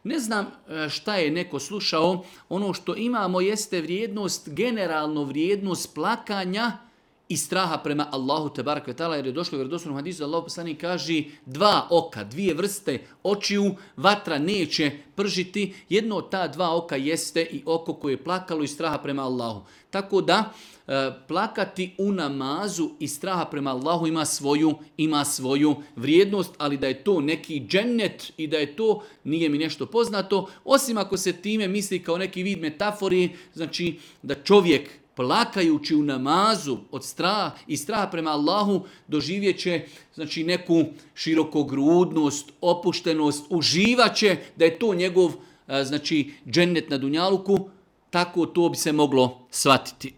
Ne znam šta je neko slušao, ono što imamo jeste vrijednost, generalno vrijednost plakanja i straha prema Allahu tebarek ve taala, jer je došlo u vjerodostojnom hadisu da Allahu poslanik kaže 2 oka, 2 vrste očiju, vatra neće pržiti. Jedno od ta 2 oka jeste i oko koje je plakalo iz straha prema Allahu. Tako da plakati u namazu i straha prema Allahu ima svoju vrijednost, ali da je to neki džennet i da je to, nije mi nešto poznato, osim ako se time misli kao neki vid metafori, znači da čovjek plakajući u namazu od straha prema Allahu doživjet će znači neku širokogrudnost, opuštenost, uživaće da je to njegov znači džennet na dunjaluku, tako to bi se moglo shvatiti.